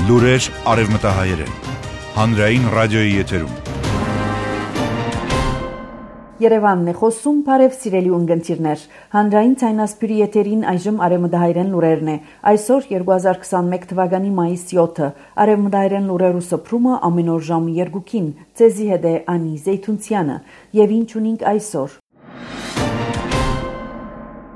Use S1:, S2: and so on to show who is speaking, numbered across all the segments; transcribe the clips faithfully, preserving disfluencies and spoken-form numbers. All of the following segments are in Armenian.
S1: Լուրեր արևմտահայերեն։ Հանրային ռադիոյի եթերում։
S2: Երևանն է խոսում, բարև սիրելի ունգընտիրներ։ Հանրային ցայնասպյուրի եթերին այժմ արևմտահայերեն լուրերն է։ Այսօր երկու հազար քսանմեկ թվականի մայիսի յոթը։ Արևմտահայերեն լուրերու սփռումը ամեն օր ժամը երկուքին։ Ցեզի հետ է Անի Զեյթունցյանը։ Եվ ինչ ունենք այսօր։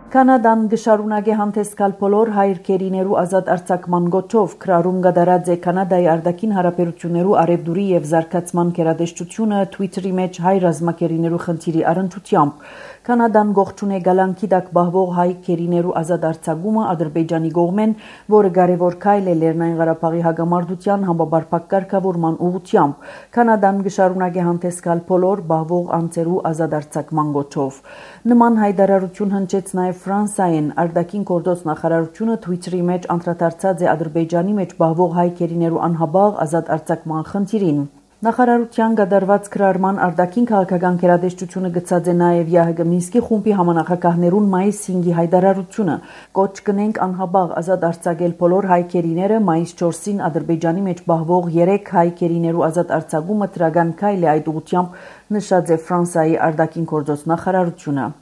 S2: Կանադան գշարունակե հանդեսկալ բոլոր հայրքերիներու ազատ արձակման գոչով քրարում գդարած է Կանադայի արտաքին հարաբերություններու արևդուրի եւ զարգացման գերադեսչությունը Twitter-ի մեջ հայ ռազմակերիներու խնդիրի առընթությամբ։ Կանադան գողջուն է գալանքի դակ բահվող հայ քերիներու ազատ արձակումը Ադրբեջանի կողմեն, որը կարևոր քայլ է Լեռնային Ղարաբաղի հագամարտության համապարփակ կարգավորման ուղղությամբ։ Կանադան գշարունակե հանդեսկալ բոլոր բահվող անձերու ազատ արձակման գոչով։ Նման հայտարարություն հնչեց նաեւ Ֆրանսիայեն արտաքին գործոց նախարարությունը Twitter-ի մեջ անդրադարձած է Ադրբեջանի մեջ բահվող հայ քերիներու անհաբաղ ազատ արձակման խնդիրին։ Նախարարության գդարված քրարման արտաքին քաղաքական գերադեսչությունը գծած է նաև ԵԱՀԿ Մինսկի խումբի համանախագահներուն մայիսի հինգի հայտարարությունը։ Կոչ կնենք անհաբաղ ազատ արձակել բոլոր հայ քերիները մայիսի չորսին Ադրբեջանի մեջ բահվող երեք հայ քերիներու ազատ արձակումը դրական քայլ է այդ ուղղությամբ, նշած է Ֆրանսիայի արտաքին գործոց նախարարությունը։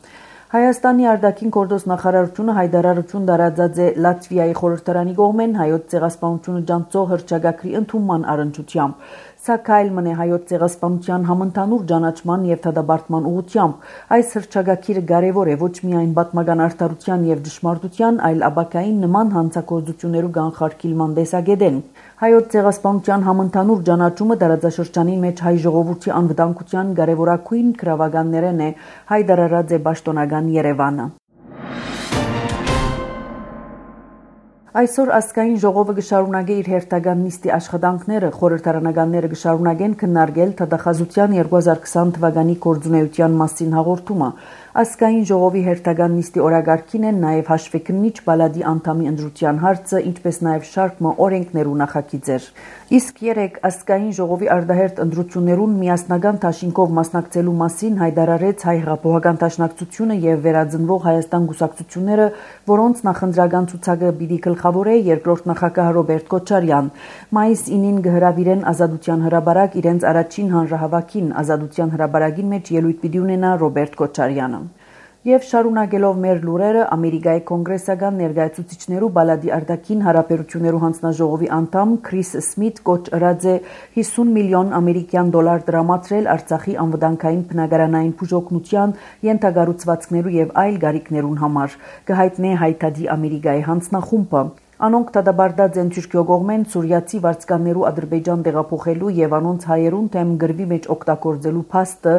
S2: Հայաստանի արտաքին գործոց նախարարությունը հայտարարություն տարածած է Լատվիայի խորհրդարանի կողմեն հայոց ցեղասպանությունը ջանցող հռչակագրի ընդունման առընթությամբ։ Սա քայլ մնե հայոց ցեղասպանության համընդհանուր ճանաչման եւ դադարեցման ուղղությամբ։ Այս հռչակագիրը կարեւոր է ոչ միայն պատմական արդարության եւ ճշմարտության, այլ ապակային նման հանցագործություններու կանխարգելման տեսակետեն։ Հայոց ցեղասպանության համընդհանուր ճանաչումը տարածաշրջանի մեջ հայ ժողովրդի անվտանգության կարևորագույն գրավականներն է, հայտարարած է պաշտոնական Երևանը։ Այսօր ազգային ժողովը գշարունակե իր հերթական նիստի աշխատանքները, խորհրդարանականները գշարունակեն քննարկել թադախազության երկու հազար քսան թվականի գործունեության մասին հաղորդումը։ Ազգային ժողովի հերթական նիստի օրակարգին են նաև հաշվեկնիչ բալադի անդամի ընտրության հարցը, ինչպես նաև շարքը օրենքներու նախագիծեր։ Իսկ երեք ազգային ժողովի արտահերթ ընտրություններուն միասնական դաշինքով մասնակցելու մասին հայտարարեց հայ հեղափոխական դաշնակցությունը եւ վերածնվող Հայաստան կուսակցությունները, որոնց նախընտրական ցուցակը պիտի գլխավորե երկրորդ նախագահ Ռոբերտ Քոչարյան։ Մայիսի ինին կհրավիրեն Ազատության հրապարակ իրենց առաջին հանրահավաքին, Ազատության հրապարակին մեջ ելույթ պիտի ունենա Ռոբերտ Քոչարյանը։ Եվ շարունակելով մեր լուրերը, Ամերիկայի կոնգրեսական ներկայացուցիչներու բալադի արտաքին հարաբերություններու հանձնաժողովի անդամ Քրիս Սմիթ կոչ ըրած է հիսուն միլիոն ամերիկյան դոլար տրամադրել Արցախի անվտանգային բնակարանային բուժօգնության, ենթակառուցվածքներու եւ այլ գարիքներուն համար, կհայտնե հայտարարի Ամերիկայի հանձնախումբը։ Անոնք դադարեցած են Թուրքիո կողմեն սուրիացի վարձկաններու Ադրբեջան տեղափոխելու եւ անոնց հայերուն թեմ գրվի մեջ օգտագործելու փաստը,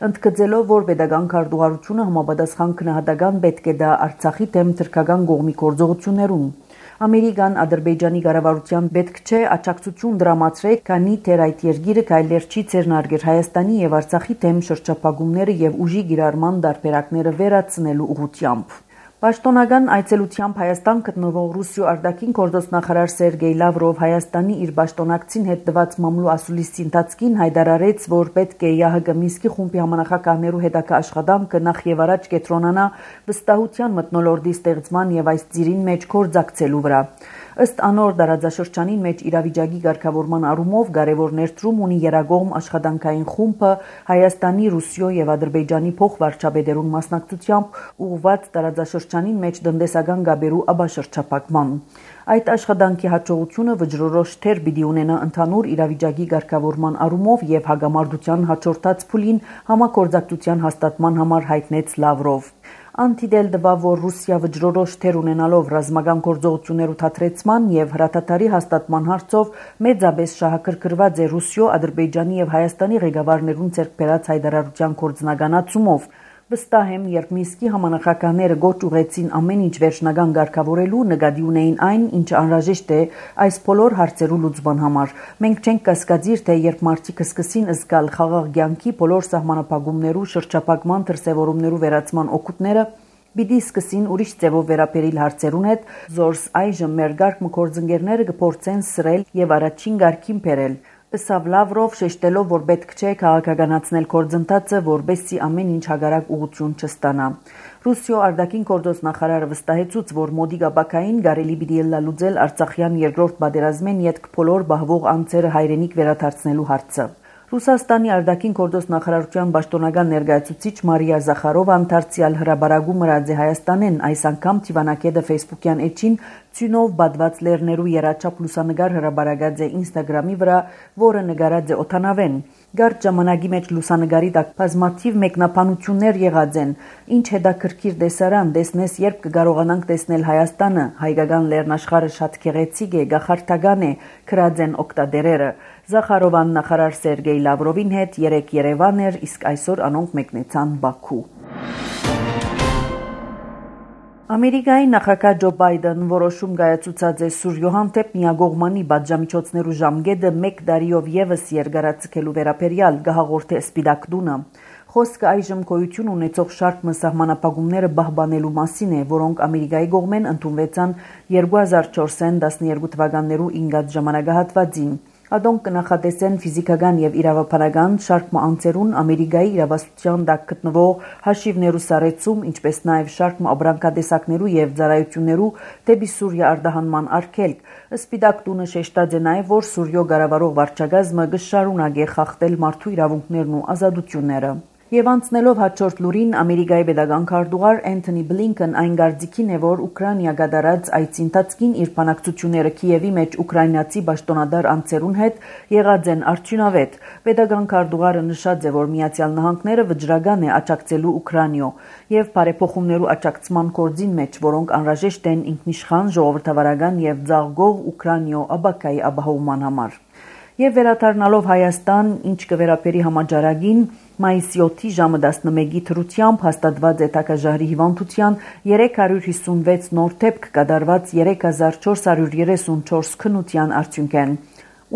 S2: ընդգծելով, որ pedagogan քարտուղարությունը համապատասխան քննադատական պետք է դա Արցախի թեմ թրքական կողմի գործողություններուն։ Ամերիկան Ադրբեջանի կառավարության պետք չէ աջակցություն դրամացրել, քանի թեր այդ երկիրը քայլեր չի ցերնարգեր Հայաստանի եւ Արցախի թեմ շրջափակումները եւ ուժի գիրառման դարբերակները վերացնելու ուղղությամբ։ Պաշտոնական այցելությամբ Հայաստան գտնվող Ռուսիո արտաքին գործոց նախարար Սերգեյ Լավրով Հայաստանի իր պաշտոնակցին հետ տված մամլու ասուլիսի ընթացքին հայտարարեց, որ պետք է ԵԱՀԿ Մինսկի խումբի համանախագահներու հետագա աշխատանքը նախ եւ առաջ կենտրոնանա վստահության մթնոլորտի ստեղծման եւ այս ծիրին մեջ գործակցելու վրա։ Ըստ անոր դարաձաշրջանին մեջ իրավիճակի ղեկավարման առումով կարևոր ներդրում ունի երագողմ աշխատանքային խումբը Հայաստանի, Ռուսիո եւ Ադրբեջանի փոխվարչապետերուն մասնակցությամբ ուղղված դարաձաշրջանին մեջ տնտեսական գաբերու աբաշրջապակման։ Այդ աշխատանքի հաջողությունը վճռորոշ թեր պիտի ունենա ընդհանուր իրավիճակի ղեկավարման առումով եւ հագամարտության հաջորդած փուլին համագործակցության հաստատման համար հայտնեց Լավրով։ Անտիդել դվա, որ Ռուսիա վճռորոշ թեր ունենալով ռազմական գործողություններու թատրեցման եւ հրատատարի հաստատման հարցով մեծապես շահագրգռված է Ռուսիո, Ադրբեջանի եւ Հայաստանի ղեկավարներուն ցերկ բերած հայտարարության կորձնականացումով։ Վստահ եմ, երբ Մինսկի համանախագահները գոչ ուղեցին ամեն ինչ վերջնական կարգավորելու, նկատի ունեին այն, ինչը անհրաժեշտ է այս բոլոր հարցերու լուծման համար։ Մենք չենք կասկածիր, թե երբ մարդիկ սկսին զգալ խաղաղ կյանքի բոլոր սահմանափակումներու, շրջափակման դրսևորումներու վերացման օգուտները, պիտի սկսին ուրիշ ձևով վերաբերել հարցերուն հետ, զորս այժմ մեր գարկ մկորձընկերները կփորձեն սրել եւ առաջին գարքին բերել։ Ըսավ Լավրով, շեշտելով, որ պետք չէ քաղաքականացնել գործընթացը, որբեսի ամեն ինչ հագարակ ուղղություն չստանա։ Ռուսիո արտաքին գործոս նախարարը վստահեցուց, որ մոդիկ ապակային կարելի պիտի լուծել Արցախյան երկրորդ պատերազմեն ետք բոլոր բահվող անձերը հայրենիք վերադարձնելու հարցը։ Ռուսաստանի արտաքին գործոս նախարարության պաշտոնական ներկայացուցիչ Մարիա Զախարովը անդարձյալ հրաբարագում մրած է Հայաստանեն, այս անգամ Թիվանակեդը Facebook-յան էջին ցյունով բադված լեռներու երաչափ լուսանգար հրաբարագած է Instagram-ի վրա, որը նկարած է օթանավեն։ Գարտ ժամանակի մեջ լուսանգարի տակ բազմաթիվ մեկնաբանություններ եղած են։ Ինչ հետաքրքիր տեսարան, տեսնես, երբ կկարողանանք տեսնել Հայաստանը, հայկական լեռնաշխարհը շատ գեղեցիկ է, գախարդական է, քրած են օկտադերերը։ Զախարովան նախարար Սերգեյ Լավրովին հետ երեք Երևան էր, իսկ այսօր անոնք մեկնեցան Բաքու։ Ամերիկայի նախագահ Ջո Բայդեն որոշում կայացուցած է Սուրիո հանդեպ միագողմանի պատժամիջոցներու ժամկետը մեկ տարիով ևս երկարացկելու վերաբերյալ կհաղորդե Սպիտակ տունը։ Խոսքը այժմ գոյություն ունեցող շարք սահմանափակումները պահպանելու մասին է, որոնք Ամերիկայի կողմեն ընդունվեցան երկու հազար չորսին տասներկու թվականներու ինգած ժամանակահատվածին։ Ադոնք կնախատեսեն ֆիզիկական եւ իրավաբանական շարք անձերուն Ամերիկայի իրավասության տակ գտնվող հաշիվներու սարեցում, ինչպես նաեւ շարք ապրանքատեսակներու եւ ծառայություններու դեպի Սուրիա արտահանման արգելք։ Սպիտակ տունը շեշտած է նաեւ, որ Սուրիո կառավարող վարչակազմը կշարունակի խախտել մարդու իրավունքներն ու ազատությունները։ Եվ անցնելով հաջորդ լուրին, Ամերիկայի պետական քարտուղար Անթոնի Բլինքեն այն կարծիքին է, որ Ուկրաինա կատարած այցի ընթացքին իր բանակցությունները Կիևի մեջ ուկրաինացի պաշտոնատար անձերուն հետ եղած են արդյունավետ։ Պետական քարտուղարը նշած է, որ Միացյալ Նահանգները վճռական է աջակցելու Ուկրաինո եւ բարեփոխումներու աջակցման գործին մեջ, որոնք անհրաժեշտ են ինքնիշխան, ժողովրդավարական եւ ծաղկող Ուկրաինո ապակայի ապահովման համար։ Եվ վերադառնալով Հայաստան, ինչ կվերապերի համաճարակին, մայիսի յոթի ժամը տասնմեկի թրությամբ հաստատված է Տակաժահրի հիվանդության երեք հարյուր հիսունվեց նոր դեպք կատարված երեք հազար չորս հարյուր երեսունչորս քննության արդյունքեն։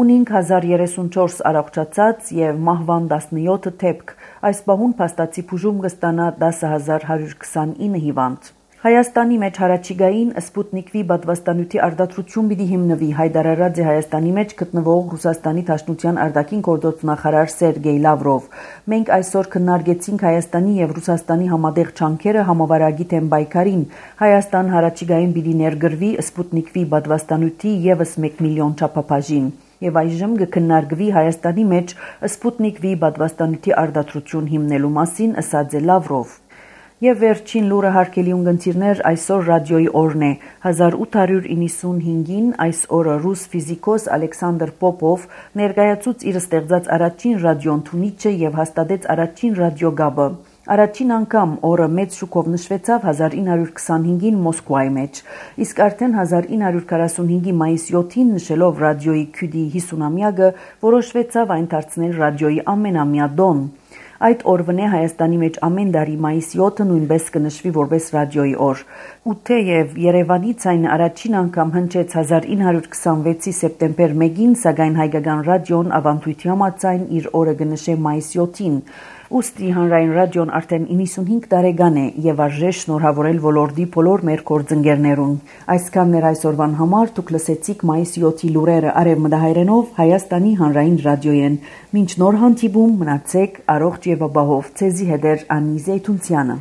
S2: Ունինք հազար երեսունչորս առողջացած եւ մահվան տասնյոթ դեպք։ Այս պահուն փաստացի բուժում կստանա տասը հազար հարյուր քսանինը հիվանդ։ Հայաստանի մեջ հարաճիգային Սպուտնիկ V պատվաստանյութի արտադրություն պիտի հիմնվի, հայտարարած է Հայաստանի մեջ գտնվող Ռուսաստանի Դաշնության արտաքին գործոս նախարար Սերգեյ Լավրով։ Մենք այսօր քննարկեցինք Հայաստանի եւ Ռուսաստանի համատեղ ջանքերը համավարակի թեմ պայքարին։ Հայաստան հարաճիգային պիտի ներգրվի Սպուտնիկ V պատվաստանյութի եւս մեկ միլիոն չափաբաժին։ Եվ այժմ կքննարկվի Հայաստանի մեջ Սպուտնիկ V պատվաստանյութի արտադրություն հիմնելու մասին, ըսած է Լավրով։ Եվ վերջին լուրը հարգելի ունգընտիրներ, այսօր ռադիոյի օրն է։ հազար ութ հարյուր իննսունհինգին այս օրը ռուս ֆիզիկոս Ալեքսանդր Պոպով ներկայացուց իր ստեղծած առաջին ռադիոընդունիչը եւ հաստատեց առաջին ռադիոգաբը։ Առաջին անգամ օրը մեծ շուկով նշվեցավ հազար ինը հարյուր քսանհինգին Մոսկվայի մեջ, իսկ արդեն հազար ինը հարյուր քառասունհինգի մայիսի յոթին նշելով ռադիոյի քյուդի հիսունամյակը որոշվեցավ այն դարձնել ռադիոյի ամենամյա դոն։ Այդ օրվն է Հայաստանի մեջ ամեն տարի մայիսի յոթը նույնպես կնշվի որպես ռադիոյի օր։ Ու թեև Երևանից այն առաջին անգամ հնչեց հազար ինը հարյուր քսանվեցի սեպտեմբեր մեկին, սակայն հայկական ռադիոն ավանդույթի համաձայն իր օրը կնշե մայիսի յոթին։ Ուստի հանրային ռադիոն արդեն իննսունհինգ տարեկան է եւ արժե շնորհավորել ոլորտի բոլոր մեր գործընկերներուն։ Այսքանն էր այսօրվան համար, դուք լսեցիք մայիսի յոթի լուրերը արևմտահայերենով Հայաստանի հանրային ռադիոյեն։ Մինչ նոր հանդիպում մնացեք առողջ եւ ապահով։ Ցեզի հետ էր Անի Զեյթունցյանը։